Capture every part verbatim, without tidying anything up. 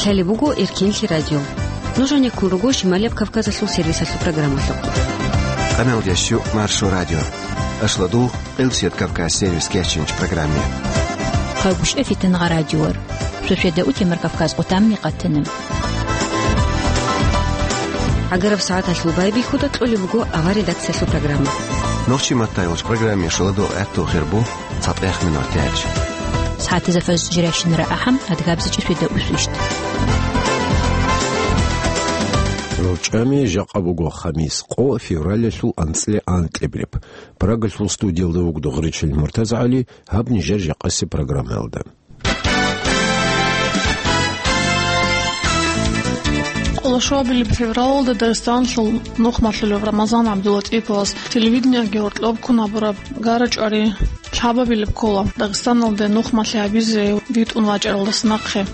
Лъалеб буго Эркенлъи радио. Нуж гьанеккун руго Шималияб Кавказалъул сервисалъул программалъухъ. Къаналдящу Маршо радио. Ашладул Къилсият Кавказ сервис кечинч программе. Къагушев Фитангъа радиор. Шошеда утемар Кавказ къутамни къатана. ГӀагараб сагӀаталъул байбихьуда кьолеб буго авар редакциялъул программа. Нохчи маттайолч программе шуладо гӀатту хирбу цатӀех минор тяч. СагӀатизафаз жиращинара ахӀам адгабзичӀи шведа усвищт. РорчӀами жакъа буго хамис къо февралялъул анцӀила анкьабилеб. Прагалъул студиялда вугода Гъречил МуртазагӀали, гьаб нижер жакъаси программаялда. Къолошуабилеб февралалда Дагъистаналъул нухмалъулев Рамазан ГӀабдулатӀиповас телевидениеги гьоркьоб ккун гьабураб гара-чӀвари лъабабилеб ккола Дагъистаналде нухмалъи гьабизе витӀун вачӀаралдаса нахъе.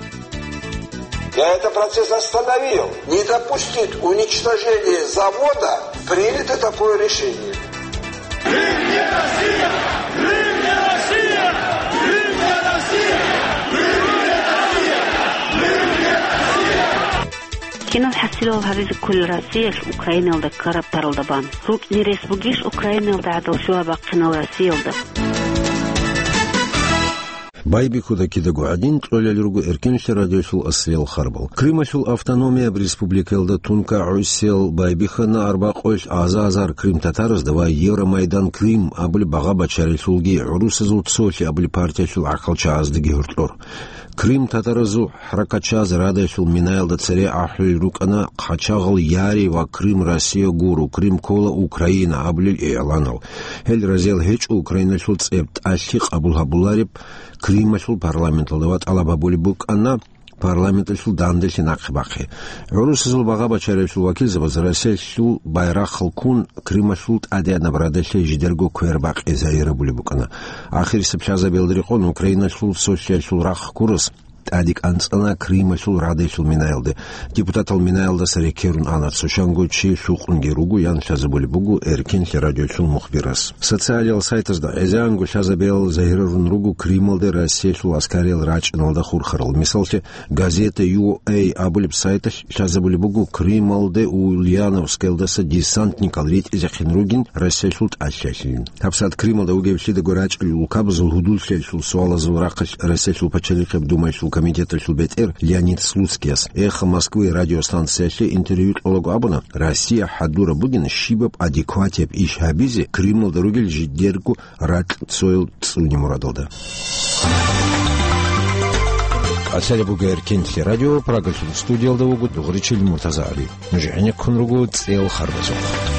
Я этот процесс остановил. Не допустить уничтожения завода, принято такое решение. Кинал хӀасилал гьабизе кколел Россиялъ Украиналда ккараб паралда бан? РукӀине рес бугищ Украиналда гӀадал щуаб бахъинал Россиялда? Байбихьуда кидаго гӀадин, кьолел руго Эркенлъи радиолъул аслиял харбал. Крымалъул автономияб республикаялда тунка гӀусиял байбихьана арбакъойлъ аза-азар крымтатаразда ва Евромайдан Крым абулеб багъа-бачаралъулги гӀурусазул цолъи абулеб партиялъул гӀахьалчагӀаздаги гьоркьор. Крымтатаразул хӀаракатчагӀаз радалъул минаялда цере ахӀулел рукӀана: «Хъачагъал яри ва Крым Россия гуро, Крым ккола Украина», — абулел игӀланал. Гьел разиял гьечӀо Украиналъул цӀеб тӀалъи къабул гьабулареб Крымалъул парламенталда ва тӀалаб гьабулеб букӀана парламенталъул данделъи нахъе бахъе. ГӀурусазул багъа-бачаралъул вакилзабаз Россиялъул байрахъал ккун Крымалъул тӀадегӀанаб радалъе жидерго квер бакъи загьирабулеб букӀана. Ахирисеб лъазабиялда рекъон Украиналъул цолъиялъул рахъ ккурас тӀаде кӀанцӀана Крымалъул радалъул минаялде. Депутатал минаялдаса рекерун ана, цо щанго чи лъукъунги руго, ян лъазабулеб буго Эркенлъи радиолъул мухбирас. Социалиял сайтазда гӀезегӀанго лъазабиял загьирарун руго Крымалде Россиялъул аскариял рачӀиналда хурхарал. Мисаллъе, газета Ю Эй абулеб сайталъ лъазабулеб буго Крымалде Ульяновскалдаса десантникал ритӀизехъин ругин Россиялъул тӀалъиялъин. ГьабсагӀат Крымалда вугевлъидаго рачӀел улкабазул гьудуллъиялъул суалазул рахъалъ Россиялъул пачалихъеб Думаялъул комитеталъул бетӀер Леонид Слуцкияс «Эхо Москвы» радиостанциялъе интервью кьолаго абуна, Россия хӀадураб бугин щибаб адекватияб иш гьабизе Крымалда ругел жидерго ракь цоял цӀуне мурадалда. Лъалеб буго Эркенлъи радио, Прагалъул студиялда вуго Дугъричил МуртазагӀали. Нуж гӀенеккун руго цӀел харбазухъ.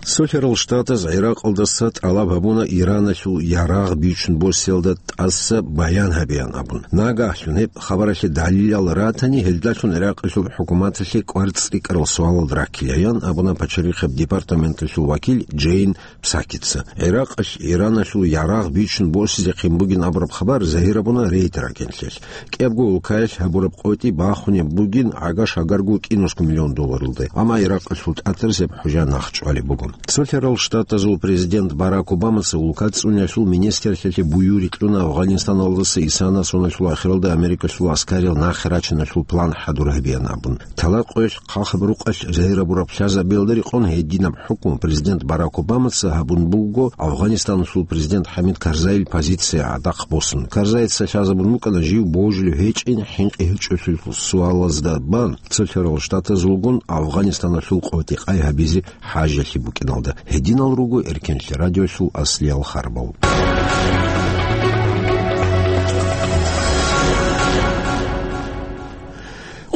Цолъарал Штатаз ГӀиракъалдаса тӀалаб гьабуна Ираналъул ярагъ бичун босиялда тӀаса баян гьабеян абун. Нагагьлъун гьеб хабаралъе далилал ратани, гьелдалъун ГӀиракъалъул хӀукуматалъе кӀвар цӀикӀкӀарал суалал раккилаян абуна пачалихъеб департаменталъул вакил Джейн Псакица. ГӀиракъалъ Ираналъул ярагъ бичун босизехъин бугин абураб хабар загьир абуна рейд ракӀиналъе. КӀиябго улкаялъ гьабураб къотӀи бахунеб бугин гӀага-шагарго кӀинусго миллион долларалде. Амма Иракъалъул тӀатарзеб хӀужа нахъ чӀвалеб буго. Цолъарал Штатазул президент Барак Обамаца улка цӀуниялъул министрлъиялъе буюрги кьуна Афгъанистаналдаса исана соналъул ахиралда Америкалъул аскариял нахъе рачиналъул план хӀадур гьабеян абун. Талакъоялъ хъахаб рукъалъ загьир абураб лъазабиялда рекъон гьединаб хӀукму президент Барак Обамаца гьабун буго Афгъанистаналъул президент ХӀамид Карзайил позиция гӀадахъ босун. Карзайица лъазабун букӀана жив божулев гьечӀин хӀинкъи гьечӀолъул суалазда бан, Цолъарал Штатазулгун Афгъанистаналъул къотӀи-къай гьабизе хӀажалъи букӀиналда. Гьединал руго Эркенлъи радиолъул аслиял харбал.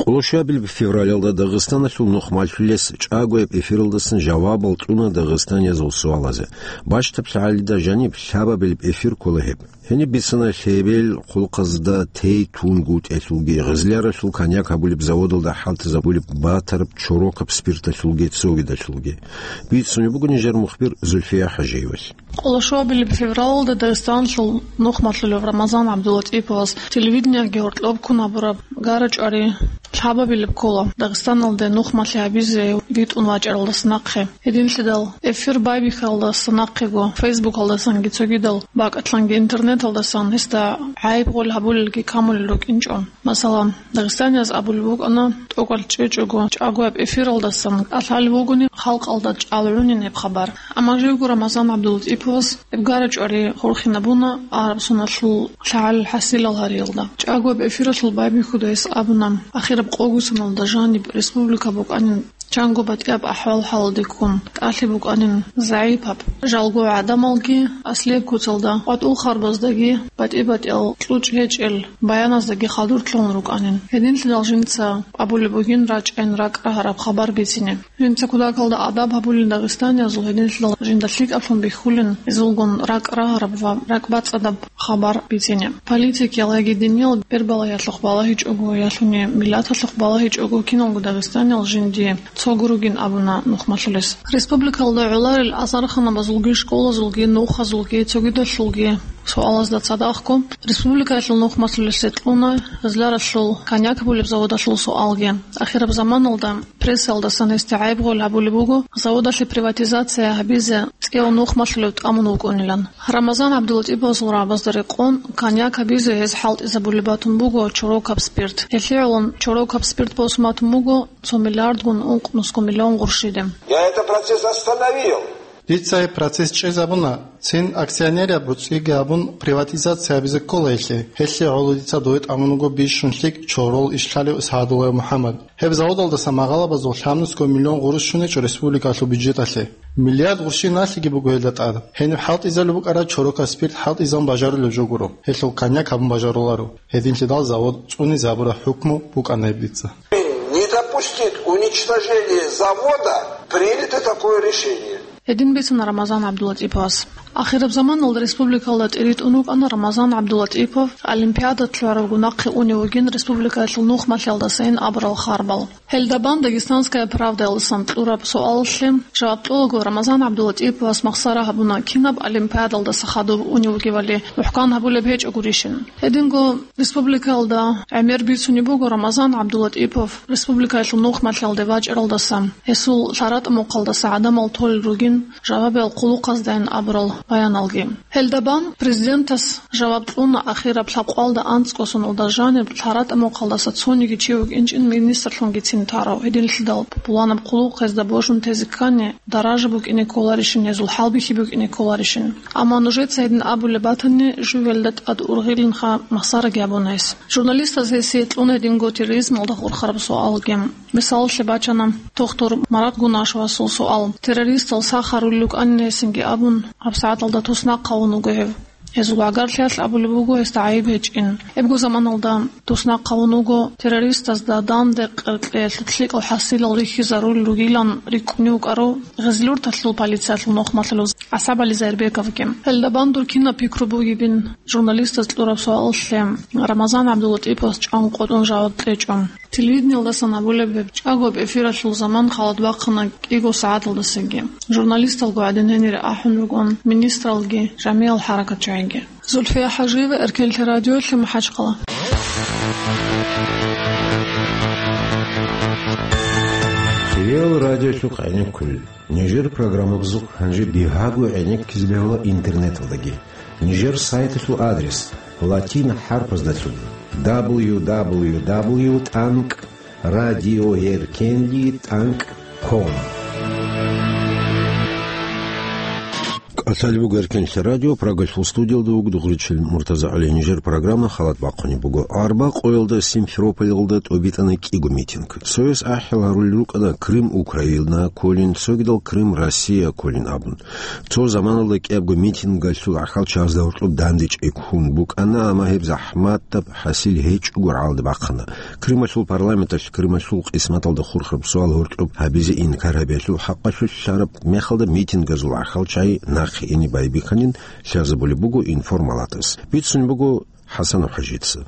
Къолошуабилеб февралалда Дагъистаналъул нухмалъулес чӀагояб эфиралдасан жавабал кьуна дагъистаниязул суалазе. Бащдаб лъагӀалида жаниб лъабабилеб эфир ккола гьеб. Гьениб бицана лъебел хъулухъазда тей тунгутӀелъулги, гъезляралъул коньяк гьабулеб заводалда хӀалтӀизабулеб батараб чорокаб спирталъулги цогидалъулги. Бицунеб буго нижер мухбир Зульфия ХӀажиевалъ. Къолошуабилеб февралалда Дагъистаналъул нухмалъулев Рамазан ГӀабдулатӀиповас телевидениеги гьоркьоб ккун гьабураб гара-чӀвари лъабабилеб ккола Дагъистаналде нухмалъи гьабизе витӀун вачӀаралдаса нахъе. Гьединлъидал эфир байбихьалдаса нахъего, фейсбукалдасанги цогидал бакӀалъанги интернет Талдасан гьесда гӀайиб гъол гьабулелги камулел рукӀинчӀо. Масала, дагъистанияз абулеб букӀана, тӀокӀал чӀечӀого чӀагояб эфиралдасан кӀалъалев вугони халкъалда чӀалгӀунин гьеб хабар. Амма живго Рамазан ГӀабдуллатӀиповас гьеб гара-чӀвари хурхинабуна араб соналъул лъагӀалил хӀасилал гьариялда. ЧӀагояб эфиралъул байбихьуда гьес абуна, ахираб къогосаналда жаниб республика букӀанин, чанго батӀияб ахӀвал-хӀалалде ккун, тӀалъи букӀанин загӀипаб, жалго гӀадамалги аслияб куцалда, къватӀул харбаздаги, батӀи-батӀиял кьучӀ гьечӀел баяназдаги хадур лъугьун рукӀанин. Гьединлъидал жинца абулеб бугин рачӀайин ракӀ рагьараб хабар бицине. Жинца кутакалда адаб гьабулин дагъистаниязул, гьединлъидал жинда лъикӀаблъун бихьулин, гьезулгун ракӀ рагьараб ва ракӀбацӀцӀадаб хабар бицине. Политикиял яги диниял бербалаялъухъ балагьичӀого, ялъуни миллаталъухъ балагьичӀого, киналго дагъистаниял жиндие цого ругин абуна нухмалъулес. Республикалда гӀоларел азарханабазулги, школазулги, нухазулги, цогидалъулги суалазда цадахъго республикаялъул нухмалъулесе кьуна гъезларалъул коньяк гьабулеб заводалъул суалги. Ахираб заманалда прессаялдасан гьесде гӀайиб гъол гьабулеб буго заводалъе приватизация гьабизе цӀияв нухмалъулев тӀамун вукӀунилан. Рамазан ГӀабдуллатӀиповасул рагӀабазда рекъон, коньяк гьабизе гьез хӀалтӀизабулеб батун буго чорокаб спирт. Гьелъие гӀолон чорокаб спирт босун батун буго цо миллиардгун ункънусго миллион гъурщиде. Я этот процесс остановил. Дица гьеб процесс чӀезабуна, цин акционераб буцӀиги гьабун, приватизация гьабизе ккола гьелъе. Гьелъие гӀоло дица дове тӀамун вуго бищун лъикӀ чорол ишлъалев СагӀадуллаев МухӀаммад. Гьеб заводалдаса магъалабазул лъабнусго миллион гъурущ щуничӀо республикалъул бюджеталъе. Миллиард гъурщи налъиги буго гьелда тӀад. Гьениб хӀалтӀизабулеб букӀараб чорокаб спирт хӀалтӀизабун бажарулеб жо гуро. Гьелъул коньяк гьабун бажаруларо. Гьединлъидал завод цӀуни забураб хӀукму букӀана гьеб дица. Не допустить уничтожения завода, принято такое решение. Гьедин бицана Рамазан ГӀабдуллатӀиповас. Ахираб заманалда республикалда тӀиритӀун вукӀана Рамазан ГӀабдуллатӀипов, олимпиада лъугӀарабго нахъе унев вугин республикаялъул нухмалъиялдасайин абурал харбал. Гьелда бан «Дагестанская правдаялдасан» кьураб суалалъе жаваб кьолаго Рамазан ГӀабдуллатӀиповас махсара гьабуна, кинаб олимпиадалдаса хадув унев вугевали мухӀкан гьабулеб гьечӀо гурищин. Гьединго республикаялда гӀемер бицунеб буго Рамазан ГӀабдуллатӀипов республикаялъул нухмалъиялде вачӀаралдаса, гьесул лъаратӀа-мухъалдаса гӀадамал толел ругин жавабиял хъулухъаздайин абурал баяналги. Гьелда бан президентас жаваб кьуна ахираб лъабкъоялда анцӀго соналда жаниб лъаратӀа-мухъалдаса цониги чи вукӀинчӀин министрлъунгицин тарав, гьединлъидал пуланаб хъулухъ гьезда божун тезе ккани, даража букӀине кколарищин, гьезул хӀалбихьи букӀине кколарищин. Амма нужеца гьедин абулеб батани, жив гьелда тӀад ургъилинха, махсараги абуна гьес. Журналистаз гьесие кьуна гьединго терроризмалда хурхараб суалги. Мисалалъе бачана Тохтур Марат Гунашевасул суал. Террористал сах гьарулел рукӀанин гьесинги абун, гьабсагӀаталда туснахъ гьавун вуго гьев. Гьезул гӀагарлъиялъ абулеб буго гьесда гӀайиб гьечӀин. Гьебго заманалда туснахъ гьавун вуго, террористазда данде къеркьеялъул лъикӀал хӀасилал рихьизарулел ругилан рикӀкӀунев вукӀарав Гъизлюрталъул полициялъул нухмалъулев ГӀасабали Зайирбековги. Гьелда бан дур кинаб пикру бугебин, журналистаз кьураб суалалъе Рамазан ГӀабдуллатӀиповас чӀван къотӀун жаваб кьечӀо. Телевидениялдасан абулеб гьеб чӀагояб эфиралъул заман халат бахъана кӀиго сагӀаталдасаги. Журналисталго гӀадин гьенире ахӀун ругон министралги, жамигӀал хӀаракатчагӀиги. Зульфия ХӀажиева, Эркенлъи радиолъи, МахӀачхъала. Реал радиолъухъ гӀенеккулел. Нижер программабазухъ гьанже бигьаго гӀенеккизе бегьула интернеталдаги. Нижер сайталъул адрес латин хӀарпаздалъун: дабл ю дабл ю дабл ю тӀанкӀ радиоэркенли тӀанкӀ ком. КӀалъалеб буго Эркенлъи радио, Прагалъул студиялда вуго дугъричил Муртаза ГӀали. Нижер программа халат бахъунеб буго. Арба къоялда Симферополалда тӀобитӀана кӀиго митинг. Цояс ахӀи гьарулел рукӀана Крым Украина кколин, цогидал Крым Россия кколин абун. Цо заманалда кӀиябго митингалъул гӀахьалчагӀазда гьоркьоб дандечӀей ккун букӀана, амма гьеб захӀматаб хӀасил гьечӀого гӀалда бахъана. Крымалъул парламенталъ Крымалъул къисматалда хурхараб суал гьоркьоб гьабизе инкар гьабиялъул хӀакъалъулъ лъараб мехалда митингазул гӀахьалчагӀи нахъе ине байбихьанин лъазабулеб буго информалатас. Бицунеб буго ХӀасанов ХӀажица.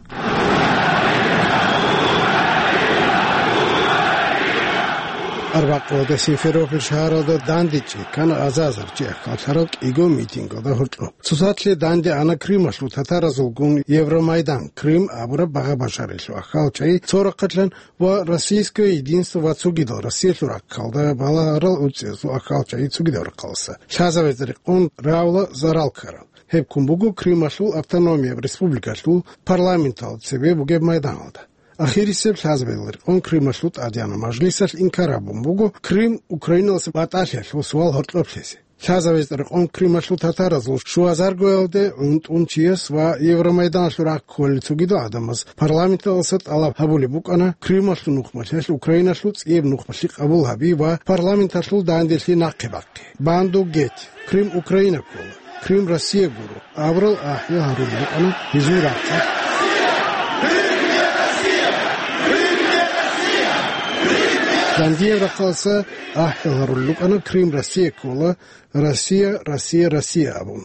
Арбакъоялда Симферополь шагьаралда дандечӀей ккана азазар чи ахӀаллъарал кӀиго митингалда гьоркьоб. Цоцалъе данде ана Крымалъул татаразулгун Евромайдан, Крым абураб багъа-башарилъул ахӀалчагӀи цо рахъалъан ва Российское единство ва цогидал Россиялъул рахъалда балагьарал уцӀиязул ахӀалчагӀи цогидал рахъалдаса. Лъазабазе рекъон равла зарал ккарал. Гьеб ккун буго Крымалъул автономияб республикалъул парламентал цебе бугеб майданалда. Ахирисеб лъазабиялда рекъон Крымалъул тӀадегӀанаб мажлисалъ инкар гьабун буго Крым Украиналдаса батӀалъиялъул суал гьоркьоб лъезе. Лъазабиялда рекъон Крымалъул татаразул щуазаргоялде гӀунтӀун чияс ва Евромайданалъул рахъ кколел цогидал гӀадамаз парламенталдаса тӀалаб гьабулеб букӀана Крымалъул нухмалъиялъ Украиналъул цӀияб нухмалъи къабул гьаби ва парламенталъул данделъи нахъе бахъи. Банду геть! Крым Украина ккола. Крым Россия гуро, абурал ахӀи гьарулел рукӀана гьезул рахъалъ. Дандияб рахъалъа ахӀи гьарулел рукӀана Крым Россия ккола, Россия, Россия, Россия абун.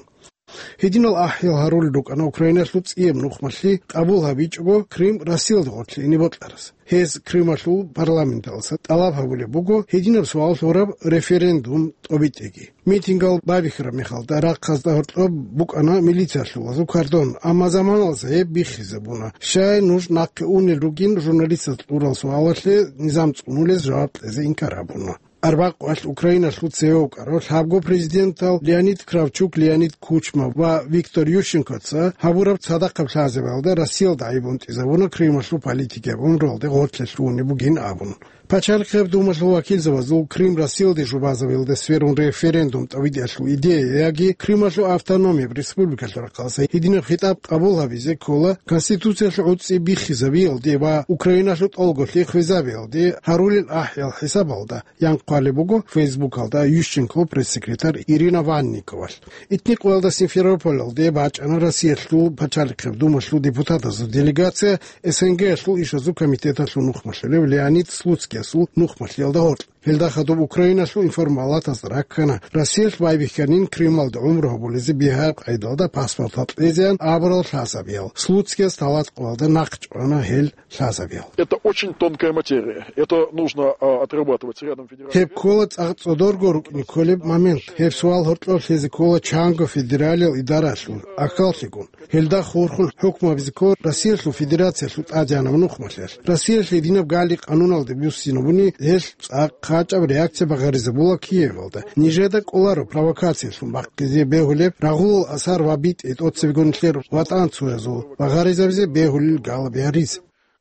Гьединал ахӀи гьарулел рукӀана Украиналъул цӀияб нухмалъи къабул гьабичӀого Крым Россиялда гъорлъе ине бокьарас. Гьез Крымалъул парламенталдаса тӀалаб гьабулеб буго гьединаб суал лъураб референдум тӀобитӀеги. Митингал байбихьараб мехалда рахъазда гьоркьоб букӀана милициялъулазул кордон, амма заманалдаса гьеб биххизабуна. Щай нуж нахъе унел ругин журналистаз кьурал суалалъе низам цӀунулез жаваб кьезе инкар гьабуна. Арбакъвалъ Украиналъул цеве вукӀарав лъабго президентал Леонид Кравчук, Леонид Кучма ва Виктор Ющенкоца гьабураб цадахъаб лъазабиялда Россиялда гӀайиб унтӀизабуна Крымалъул политикияб гӀумруялде гъорлъе лъугьунеб бугин абун. Пачалихъияб Думалъул вакилзабазул Крым Россиялде жубазабиялда сверун референдум тӀобитӀиялъул идея яги Крымалъул автономияб республикалъул рахъалъа гьединаб хитӀаб къабул гьабизе ккола Конституциялъул гӀуцӀи биххизабиялде ва Украиналъул тӀолголъи хвезабиялде гьарулел ахӀиял хӀисабалда. Ян хъвалеб буго Фейсбукалда Ющенкол пресс-секретарь Ирина Ванниковалъ. Итни къоялда Симферополалде бачӀана Россиялъул Пачалихъияб Думалъул депутатазул делегация СНГ-ялъул ишазул комитеталъул нухмалъулев Леонид Слуцкиясул нухмалъиялда гьоркь. Гьелда хадуб Украиналъул информалатазда раккана, Россиялъ байбихьанин Крымалда гӀумру гьабулезе бигьараб къайдалда паспортал кьезеян абурал лъазабиял. Слуцкияс талат къоялда нахъ чӀвана гьел лъазабиял. Это очень тонкая материя. Это нужно, а, отрабатывать с рядом федеральных. Гьеб ккола цӀакъ цӀодорго рукӀине кколеб момент. Гьеб суал гьоркьоб лъезе ккола чанго федералиял идаралъул ахьаллъигун. Гьелда хурхун хӀукму гьабизе ккола Россиялъул Федерациялъул тӀадегӀанаб нухмалъиялъ. Россиялъ гьединаб гали-къануналде буссинабуни, гьелъ цӀакъ къачӀаб реакция багъаризабула Киевалда. Нижеда кӀоларо провокациялъун бахъизе бегьулеб, рагъулал асар ва битӀи тӀоцебегун нилъер ватӀанцоязул багъаризабизе бегьулел галаби гьаризе.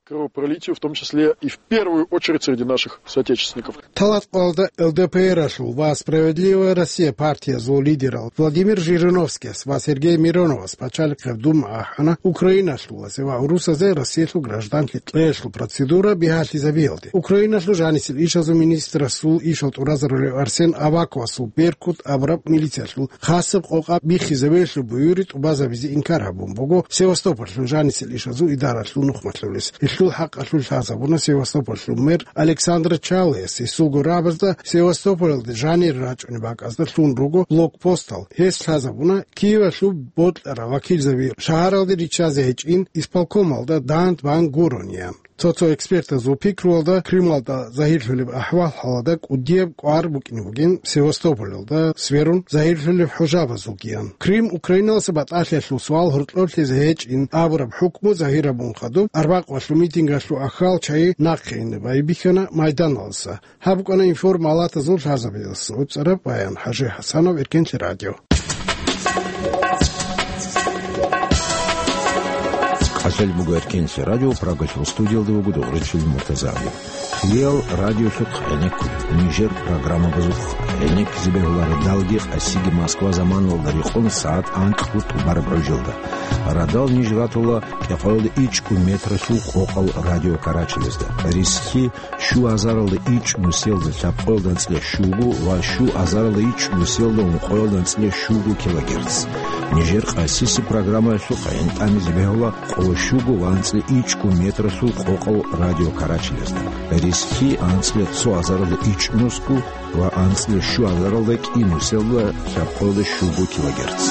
Кровопролитию, в том числе и в первую очередь среди наших соотечественников. Талат къоялда ЛДПР-алъул ва Справедливая Россия партиязул лидерал Владимир Жириновскияс ва Сергей Мироновас Пачалихъияб Дума ахӀана Украиналъулазе ва гӀурусазе Россиялъул гражданлъи кьеялъул процедура бигьалъизабиялде. Украиналъул жанисел ишазул министрасул ишал тӀуразарулев Арсен Аваковасул «Беркут» абураб милициялъул хасаб къокъа биххизабиялъул буюри тӀубазабизе инкар гьабун буго Севастополлъул жанисел ишазул идаралъул нухмалъулес. Гьелъул хӀакъалъулъ лъазабуна Севастополлъул мэр Александр Чалыяс гьесул гурабазда Севастополалде жанир рачӀунеб бакӀазда лъун руго блокпостал. Гьес лъазабуна Киевалъул бокьарал вакилзаби шагьаралде риччазе гьечӀин, исполкомалда дандбан гурони, ян. Цо-цо экспертазул пикруялда, Крымалда загьирлъулеб ахӀвал-хӀалалда кӀудияб кӀвар букӀине бугин Севастополалда сверун загьирлъулеб хӀужабазулгиян. Крым Украиналдаса батӀалъиялъул суал гьоркьоб лъезе гьечӀин абураб хӀукму загьир гьабун хадуб, арбакъвалъул митингалъул ахьал чагӀи нахъе ине байбихьана майданалдаса. Гьаб букӀана информалатазул лъазабиялъ гӀуцӀараб баян. ХӀажи ХӀасанов, Эркенлъи радио. КӀалъал буго Эркенлъи радио, Прагалъул студиялда вуго Дугъричил МуртазагӀли. Кьиял радиолъухъ гӀенеккулеб, нижер программабазухъ гӀенеккизе бегьуларо далги къасиги Москва заманалда рекъон сагӀат анкьго тӀубараб гӀужалда. Радал ниж ратула кӀикъоялда ичӀго метралъул къокъал радио карачелазда. Рисхьи щуазаралда ичӀ нусиялда лъабкъоялда анцӀила щуго ва щуазаралда ичӀ нусиялда ункъоялда анцӀила щуго килогерц. Нижер къасиси программаялъухъ гӀин тӀамизе бегьула къоло щуго ва анцӀила ичӀго метралъул къокъал радио карачелазда. Рисхьи анцӀила цоазаралда ичӀ нусго ва анцӀила щуазаралда кӀи нусиялда лъабкъоялда щуго килогерц.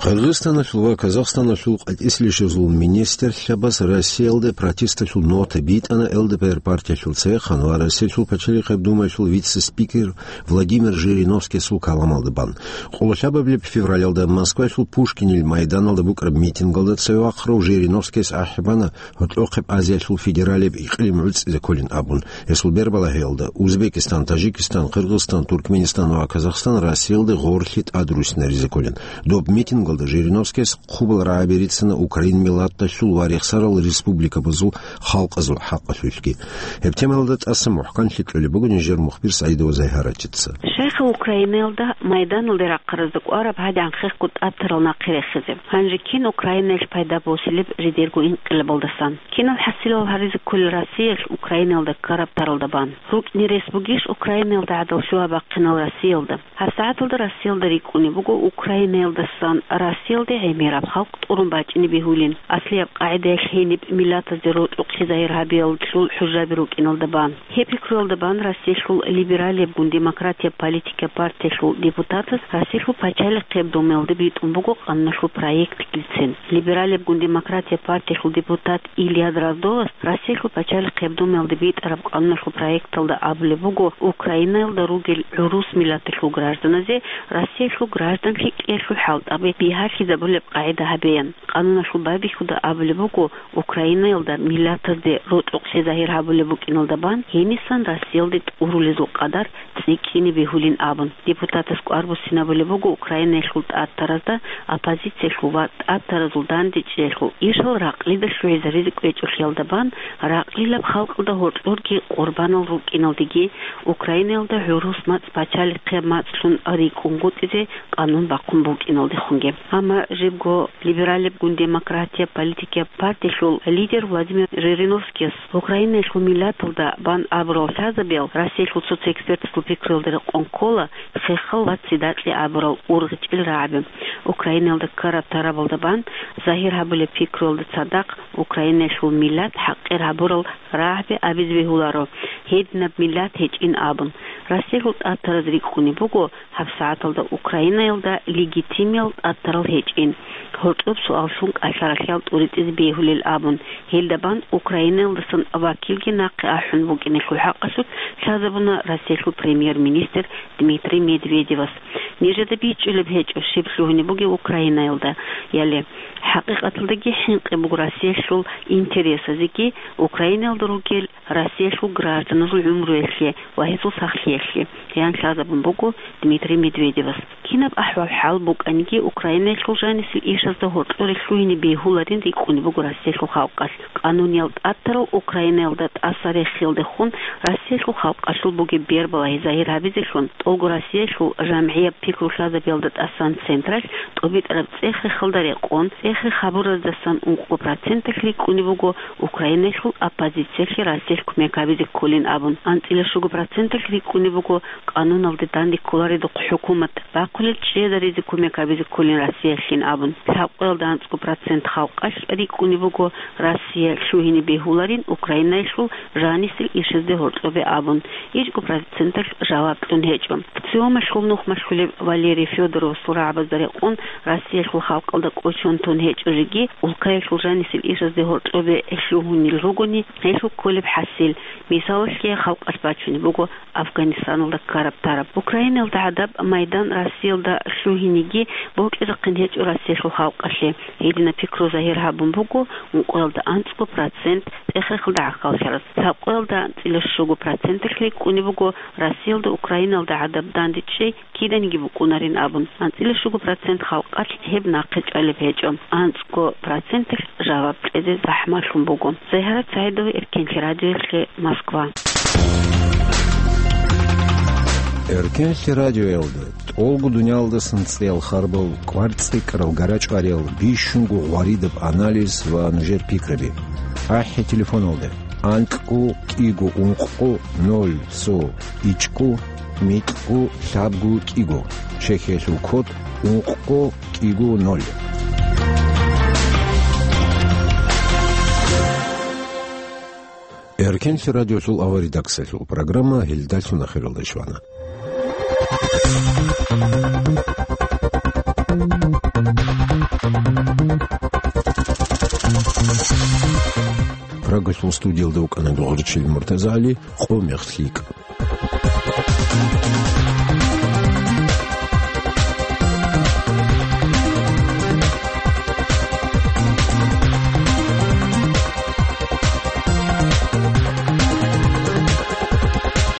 Къиргъизстаналъул ва Казахстаналъул къватӀислъищазул министрлъабаз Россиялде протесталъул нота битӀана Л Д П Р партиялъул цехъан ва Россиялъул пачалихъеб думаялъул вице-спикер Владимир Жириновскиясул каламалда бан. Къоло лъабабилеб февралалда Москваялъул Пушкинил майданалда букӀараб митингалда цеве вахъарав Жириновскияс ахӀи бана Гьоркьохъеб Азиялъул федералияб икълим гӀуцӀизе кколин абун. Гьесул бербалагьиялда Узбекистан, Таджикистан, Къиргъизстан, Туркманистан ва Казахстан Россиялде гъорлъи тӀадруссинаризе кколин. Доб митингалда Жириновскияс хъубал рагӀаби рицана Украин миллаталъул ва рехсарал республикабазул халкъазул хӀакъалъулъги. Гьеб темаялда тӀаса мухӀканлъи кьолеб буго нижер мухбир СагӀидова Загьарачица. Щайха Украинаялда майданалде рахъаразда кӀвараб гьадигӀан хехго тӀатарал нахъе рехизе? Гьанже кин Украинаялъ пайда босилеб жидерго инкъилабалдасан? Кинал хӀасилал гьаризе кколел Россиялъ Украинаялда ккараб таралда бан? РукӀине рес бугищ Украинаялда гӀадал лъугьа-бахъинал Россиялда? ГьабсагӀаталда Россиялда рикӀкӀунеб буго Украинаялдасан Россиялде гӀемераб халкъ тӀурун бачӀине бегьулин, аслияб къагӀидаялъ гьениб миллатазде рокьукълъи загьир гьабиялъул хӀужаби рукӀиналда бан. Гьеб пикруялда бан Россиялъул либералиябгун демократияб политикияб партиялъул депутатас Россиялъул пачалихъеб думаялде битӀун буго къануналъул проект. Либералиябгун демократияб партиялъул депутат Илья Дроздовас Россиялъул пачалихъеб думаялде битӀараб къануналъул проекталда абулеб буго, Украинаялда ругел гӀурус миллаталъул гражданазе Россиялъул гражданлъи кьеялъул хӀалтӀаби бигьалъизабулеб къагӀида гьабеян. Къануналъул байбихьуда абулеб буго, Украинаялда миллатазде рокьукълъи загьир гьабулеб букӀиналда бан гьенисан Россиялде тӀурулезул къадар цӀикӀкӀине бегьулин абун. Депутатас кӀвар буссинабулеб буго Украинаялъул тӀатаразда оппозициялъул ва тӀатаразул дандечӀеялъул ишал ракълида лъугӀизаризе кӀвечӀолъиялда бан, ракълилаб халкъалда гьоркьорги къурбанал рукӀиналдеги, Украинаялда гӀурус мацӀ пачалихъе мацӀлъун рикӀкӀунгутӀизе къанун бахъун букӀиналдехунги. Амма жибго либералиябгун демократияб политикияб партиялъул лидер Владимир Жириновскияс Украинаялъул миллаталда бан абурал лъазабиял Россиялъул цо-цо экспертасул пикруялда рекъон ккола хехал ва цидакье абурал ургъичӀел рагӀаби. Украинаялда ккараб тарабалда бан загьир гьабулеб пикруялда цадахъ Украинаялъул миллат хӀакъир гьабурал рагӀаби абизе бегьуларо, гьединаб миллат гьечӀин абун. Россиялъул тӀатараз рикӀкӀунеб буго, ГьабсагӀаталда Украинаялда легитимиял тӀатарал гьечӀин, гьоркьоб суаллъун кӀалъаралъиял тӀуритӀизе бегьулел абун, гьелда бан Украинаялдасан вакилги нахъе ахӀун букӀиналъул хӀакъалъулъ лъазабуна Россиялъул премьер-министр Дмитрий Медведевас. Нижеда бичӀчӀулеб гьечӀо, щиб лъугьунеб бугеб Украинаялда, яли. ХӀакъикъаталдаги хӀинкъи буго Россиялъул интересазеги, Украинаялда ругел Россиялъул гражданазул гӀумруялъе ва гьезул сахлъиялъе, ян лъазабун буго Дмитрий Медведевас. Кинаб ахӀвал-хӀал букӀаниги, Украинаялъул жанисел ишазда гьоркьоре лъугьине бегьуларин рикӀкӀунеб буго Россиялъул халкъалъ. Къануниял тӀатарал Украинаялда тӀаса рехиялдехун Россиялъул халкъалъул бугеб бербалагьи загьир гьабизелъун, тӀолго Россиялъул жамгӀияб пикру лъазабиялда тӀасан централъ тӀобитӀараб цӀех-рехалда рекъон, цӀех-рех гьабураздасан ункъо проценталъ рикӀкӀунеб буго Украинаялъул оппозициялъе Россиялъ кумек гьабизе кколин абун, анцӀила щуго проценталъ рикӀкӀунеб буго къануналде данде кколаредухъ хӀукумат бахъулел чӀезаризе кумек гьабизе кколин Россиялъин абун. Лъабкъоялда анцӀго процент халкъалъ рикӀкӀунеб буго Россия лъугьине бегьуларин Украинаялъул жанисел ишазде гьоркьобе абун, ичӀго проценталъ жаваб кьун гьечӀо. ЦИОМалъул нух малъулеб Валерий Федоровасул рагӀабазда рекъон, Россиялъул халкъалда кӀочон тун гьечӀо жеги, улкаялъул жанисел ишазде гьоркьобе лъугьунел ругони, гьелъул кколеб хӀасил, мисалалъе, халкъалъ бачунеб буго Афганистаналда ккараб тараб. Украиналда гӀадаб майдан Россиялда лъугьинеги бокьизехъин гьечӀо Россиялъул халкъалъе. Гьединаб пикру загьир гьабун буго ункъоялда анцӀго процент цӀех-рехалда гӀахьаллъараз. Лъабкъоялда анцӀила щуго проценталъ рикӀкӀунеб буго Россиялда Украиналда гӀадаб дандечӀей киданиги букӀунарин абун. АнцӀила щуго процент халкъалъ гьеб нахъе чӀвалеб гьечӀо. АнцӀго проценталъ жаваб кьезе захӀмалъун буго. Загьарат СагӀидова, Эркенлъи радиоялъе, Москва. Эркенлъи радиоялда тӀолго дуниялдасан цӀеял харбал, кӀварцӀикӀкӀарал гарачӀвариял, бищунго гъваридаб анализ ва нужер пикраби. АхӀи телефоналда: анкьго кӀиго ункъго ноль цо ичӀго микьго лъабго кӀиго, Чехиялъул код ункъго кӀиго ноль. Эркенлъи радиолъул аваридаксалъул программа гьелдалъун ахиралде щвана. Прагасул студиялда вукӀана дугӀурчи Муртазали, къо мехлъи йикӀа.